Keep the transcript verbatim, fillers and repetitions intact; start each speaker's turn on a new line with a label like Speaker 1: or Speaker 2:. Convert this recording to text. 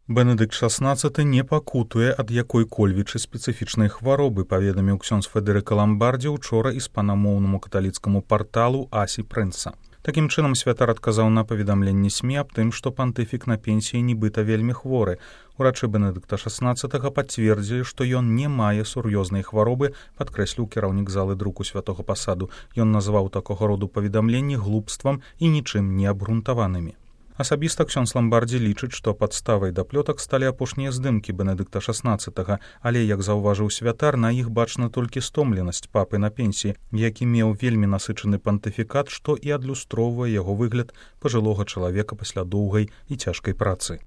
Speaker 1: Бенедыкт шаснаццаты не пакутуе ад якой-кольвічы спецыфічнай хваробы, паведаміў ксёндз Федэрыка Ламбардзі ўчора іспанамоўнаму каталіцкаму парталу Асі Прэнса. Такім чынам святар адказаў на паведамленні СМІ аб тым, што пантыфік на пенсіі нібыта вельмі хворы. Урачы Бенедыкта шаснаццатага пацвердзілі, што ён не мае сур'ёзнай хваробы, падкрэсліў кіраўнік залы друку святога пасаду. Ён назваў такога роду паведамленні глупствам і нічым не абгрунтаванымі. Асабіста ксёндз Ламбардзі лічыць, што падставай да плётак сталі апошнія здымкі Бенедыкта шаснаццатага, але, як заўважыў святар, на іх бачна толькі стомленасць папы на пенсіі, які меў вельмі насычаны пантыфікат, што і адлюстроўвае яго выгляд пажылога чалавека пасля доўгай і цяжкай працы.